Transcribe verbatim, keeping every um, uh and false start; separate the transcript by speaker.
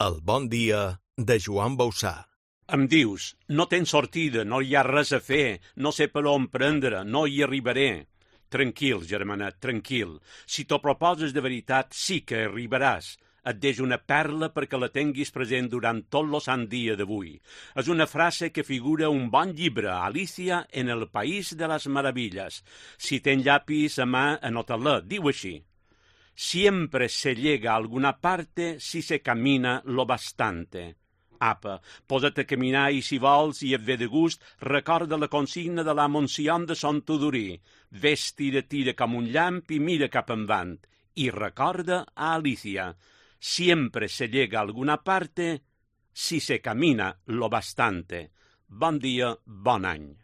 Speaker 1: El bon dia de Joan Bausà.
Speaker 2: Em dius, no tens sortida, no hi ha res a fer, no sé per on prendre, no hi arribaré. Tranquil, germanet, tranquil. Si t'ho proposes de veritat, sí que arribaràs. Et deixo una perla perquè la tinguis present durant tot lo sant dia d'avui. És una frase que figura un bon llibre, Alicia en el País de las Maravillas. Si tens llapis a mà, anota-la, diu així. Siempre se llega a alguna parte si se camina lo bastante. Apa, posa't a caminar i si vols i et ve de gust, recorda la consigna de la Moncion de Son Tudorí. Ves, tira, tira com un llamp i mira cap endavant. I recorda a Alicia. Siempre se llega a alguna parte si se camina lo bastante. Bon dia, bon any.